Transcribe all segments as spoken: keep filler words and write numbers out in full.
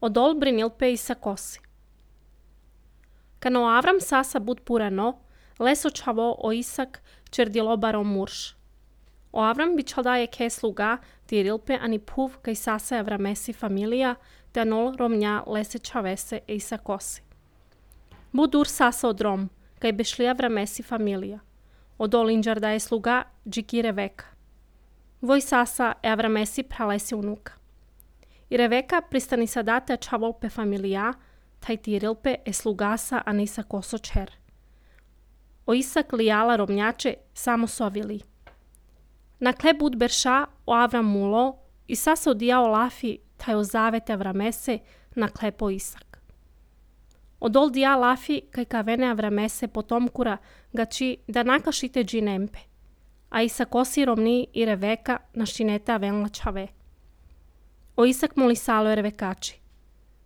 Odol brinilpe isa kosi. Cano Avram sasa bud purano, leso čavo o Isak čerdilo baro murš. O Avram bi čaldaje ke sluga tirilpe ani puv kaj sasa Avramesi familija, te anol romnja lese čavese e isa kosi. Budur sasa odrom, kaj bešli Avramesi familija. Odol inđar da je sluga džiki Reveka. Voj sasa e Avramesi pralesi unuka. I Reveka pristani sadate čavolpe familija, taj tirilpe e slugasa a nisa koso čer. O Isak lijala romnjače samo sovili. Na kle bud berša o Avram mulo i sasa odijao lafi taj o zavete Avramese na klepo Isak. Odol dija lafi kaj kavene Avramese potomkura gači da nakašite džinempe, a Isak osi romni i Reveka na šinete avenla čave. O Isak moli salo Revekači.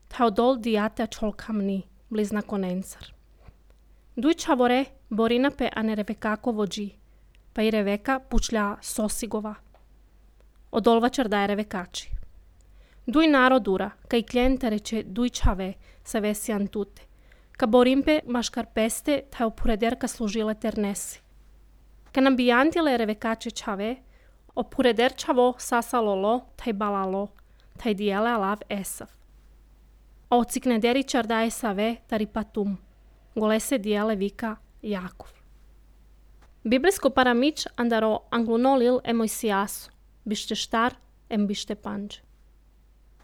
Ta odol dijate čolkamni, blizna konencar. Duj čavore borinape ane Revekako vođi, pa i Reveka pučlja sosigova. Odolva čardaje Revekači. Duj narodura, kaj klijenta reče duj čave sa vesi antute, ka borimpe maškar peste ta opurederka služile ternesi. Ka nambijantile Revekače čave, opureder čavo sasa lolo, taj balalo, taj dijele alav Esav. A ociknederi čardaje save taripatum, golese dijele vika Jakov. Biblijsko paramič andaro anglunolil e Mojsijasu, bište štar em bište panđe.